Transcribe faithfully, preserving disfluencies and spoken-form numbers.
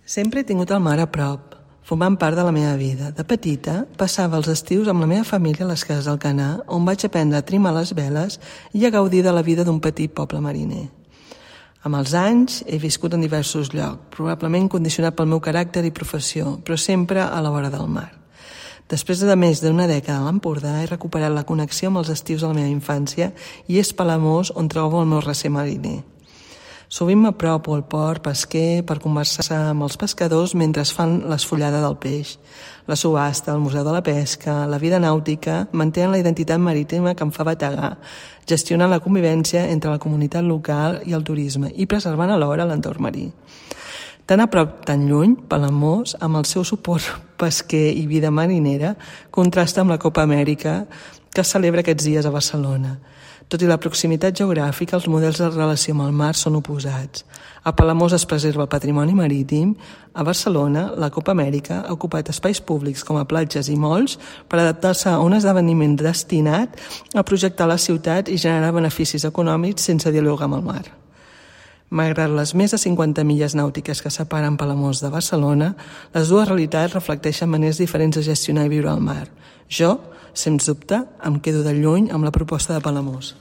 Sempre he tingut el mar a prop, formant part de la meva vida. De petita, passava els estius amb la meva família a les cases d'Alcanar, on vaig aprendre a trimar les veles i a gaudir de la vida d'un petit poble mariner. Amb els anys, he viscut en diversos llocs, probablement condicionat pel meu caràcter i professió, però sempre a la vora del mar. Després de més d'una dècada a l'Empordà, he recuperat la connexió amb els estius de la meva infància i és Palamós on trobo el meu recer mariner. Sovint m'apropo al port pesquer per conversar amb els pescadors mentre es fan l'esfollada del peix. La subhasta, el museu de la pesca, la vida nàutica mantenen la identitat marítima que em fa bategar, gestionant la convivència entre la comunitat local i el turisme i preservant alhora l'entorn marí. Tan a prop, tan lluny, Palamós, amb el seu suport pesquer i vida marinera, contrasta amb la Copa Amèrica que es celebra aquests dies a Barcelona. Tot i la proximitat geogràfica, els models de relació amb el mar són oposats. A Palamós es preserva el patrimoni marítim. A Barcelona, la Copa Amèrica ha ocupat espais públics com a platges i molls per adaptar-se a un esdeveniment destinat a projectar la ciutat i generar beneficis econòmics sense dialogar amb el mar. Malgrat les més de cinquanta milles nàutiques que separen Palamós de Barcelona, les dues realitats reflecteixen maneres diferents de gestionar i viure al mar. Jo, sens dubte, em quedo de lluny amb la proposta de Palamós.